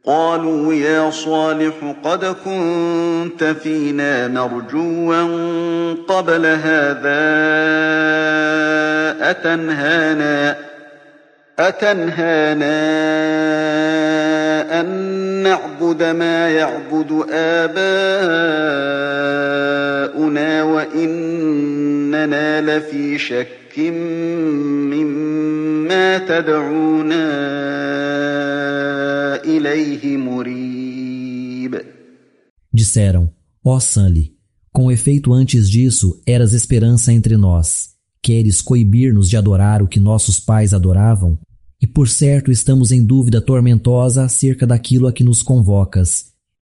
قالوا يا صالح قد كنت فينا مرجوا قبل هذا أتنهانا أن نعبد ما يعبد آباؤنا وإننا لفي شك مما تدعونا إليه مريب. Disseram: ó Sanli, com efeito antes disso eras esperança entre nós. Queres coibir-nos de adorar o que nossos pais adoravam? E por certo estamos em dúvida tormentosa acerca daquilo a que nos convocas.